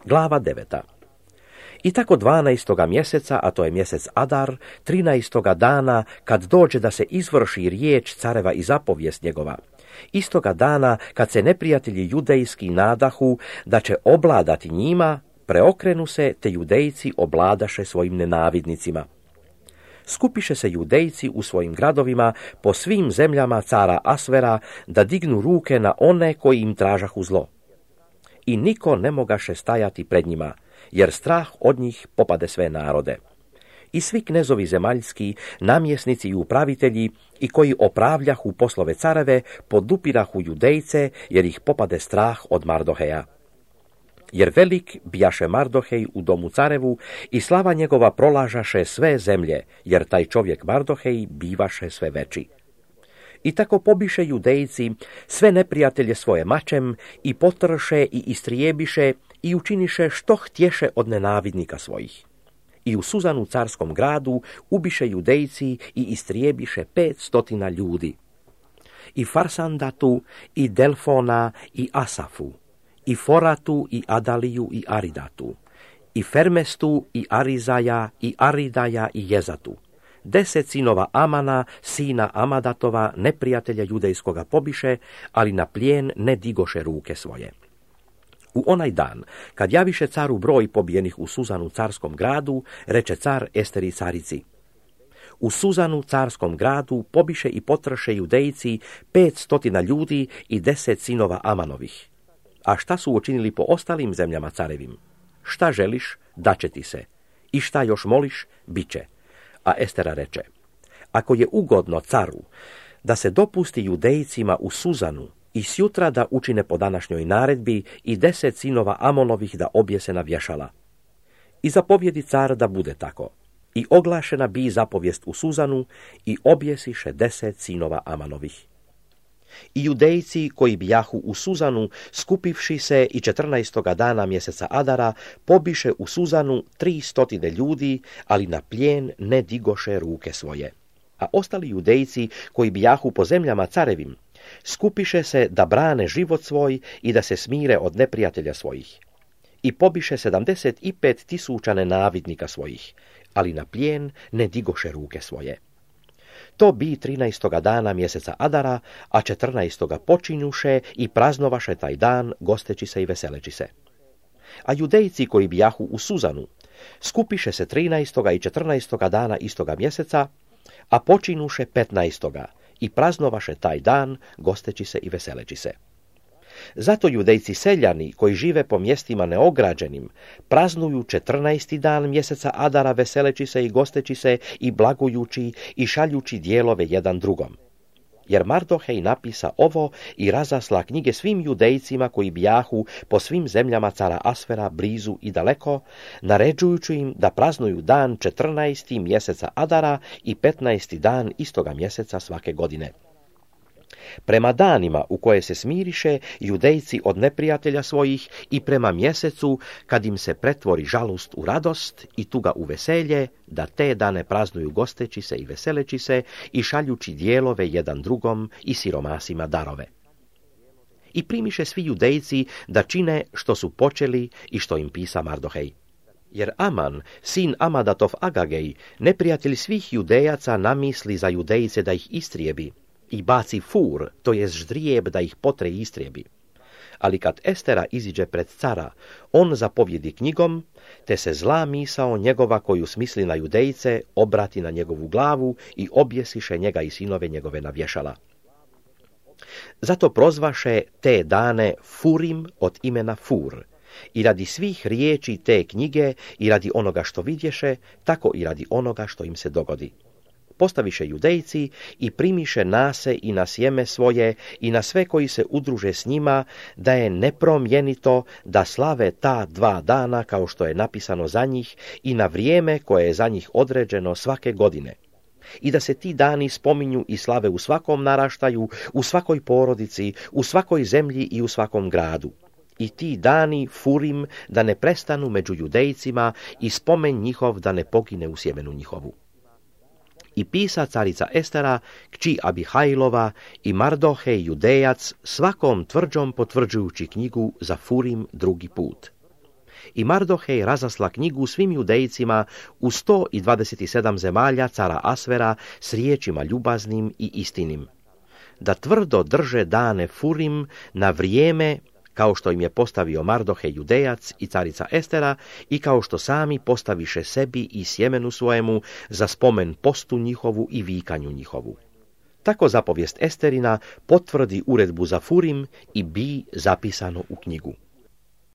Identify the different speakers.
Speaker 1: Glava 9. I tako 12. mjeseca, a to je mjesec Adar, 13. dana, kad dođe da se izvrši riječ careva i zapovijest njegova, istoga dana, kad se neprijatelji judejski nadahu da će obladati njima, preokrenu se, te judejci obladaše svojim nenavidnicima. Skupiše se judejci u svojim gradovima po svim zemljama cara Asvera da dignu ruke na one koji im tražahu zlo. I niko ne mogaše stajati pred njima, jer strah od njih popade sve narode. I svi knezovi zemaljski, namjesnici i upravitelji, i koji opravljahu poslove careve, podupirahu judejce, jer ih popade strah od Mardoheja. Jer velik bijaše Mardohej u domu carevu i slava njegova prolažaše sve zemlje, jer taj čovjek Mardohej bivaše sve veći. I tako pobiše judejci sve neprijatelje svoje mačem i potrše i istrijebiše i učiniše što htješe od nenavidnika svojih. I u Suzanu carskom gradu ubiše judejci i istrijebiše 500 ljudi. I Farsandatu, i Delfona, i Asafu, i Foratu, i Adaliju, i Aridatu, i Fermestu, i Arizaja, i Aridaja, i Jezatu. 10 sinova Amana, sina Amadatova, neprijatelja judejskoga pobiše, ali na plijen ne digoše ruke svoje. U onaj dan, kad javiše caru broj pobijenih u Suzanu carskom gradu, reče car Esteri carici: u Suzanu carskom gradu pobiše i potrše judejci 500 ljudi i 10 sinova Amanovih. A šta su učinili po ostalim zemljama carevim? Šta želiš, daće ti se. I šta još moliš, bit će. A Estera reče: ako je ugodno caru da se dopusti judejcima u Suzanu i sjutra da učine po današnjoj naredbi i 10 sinova Amonovih da objese na vješala. I zapovjedi car da bude tako. I oglašena bi zapovijest u Suzanu i objesiše 10 sinova Amanovih. I judejci koji bijahu u Suzanu, skupivši se i 14. dana mjeseca Adara, pobiše u Suzanu 300 ljudi, ali na plijen ne digoše ruke svoje. A ostali judejci koji bijahu po zemljama carevim, skupiše se da brane život svoj i da se smire od neprijatelja svojih. I pobiše 75.000 nenavidnika svojih, ali na plijen ne digoše ruke svoje. To bi 13. dana mjeseca Adara, a 14. počinjuše i praznovaše taj dan, gosteći se i veseleći se. A judejci koji bijahu u Suzanu, skupiše se 13. i 14. dana istoga mjeseca, a počinuše 15. i praznovaše taj dan, gosteći se i veseleći se. Zato judejci seljani koji žive po mjestima neograđenim praznuju 14. dan mjeseca Adara veseleći se i gosteći se i blagujući i šaljući dijelove jedan drugom. Jer Mardohej napisa ovo i razasla knjige svim judejcima koji bijahu po svim zemljama cara Asvera blizu i daleko, naređujući im da praznuju dan 14. mjeseca Adara i 15. dan istoga mjeseca svake godine. Prema danima u koje se smiriše judejci od neprijatelja svojih i prema mjesecu kad im se pretvori žalost u radost i tuga u veselje, da te dane praznuju gosteći se i veseleći se i šaljući dijelove jedan drugom i siromasima darove. I primiše svi judejci da čine što su počeli i što im pisa Mardohej. Jer Aman, sin Amadatov Agagej, neprijatelj svih judejaca, namisli za judejce da ih istrijebi i baci fur, to jest ždrijeb da ih potre i istrijebi. Ali kad Estera iziđe pred cara, on zapovjedi knjigom, te se zla misao njegova koju smisli na judejce obrati na njegovu glavu i objesiše njega i sinove njegove na vješala. Zato prozvaše te dane Furim od imena Fur, i radi svih riječi te knjige i radi onoga što vidješe, tako i radi onoga što im se dogodi. Postaviše judejci i primiše nase i na sjeme svoje i na sve koji se udruže s njima, da je nepromjenito da slave ta 2 dana kao što je napisano za njih i na vrijeme koje je za njih određeno svake godine. I da se ti dani spominju i slave u svakom naraštaju, u svakoj porodici, u svakoj zemlji i u svakom gradu. I ti dani Furim da ne prestanu među judejcima i spomen njihov da ne pogine u sjemenu njihovu. I pisa carica Estera, kći Abihajlova i Mardohej judejac svakom tvrđom potvrđujući knjigu za Furim drugi put. I Mardohej razasla knjigu svim judejcima u 127 zemalja cara Asvera s riječima ljubaznim i istinim, da tvrdo drže dane Furim na vrijeme, kao što im je postavio Mardohej Judejac i carica Estera, i kao što sami postaviše sebi i sjemenu svojemu za spomen postu njihovu i vikanju njihovu. Tako zapovijest Esterina potvrdi uredbu za Furim i bi zapisano u knjigu.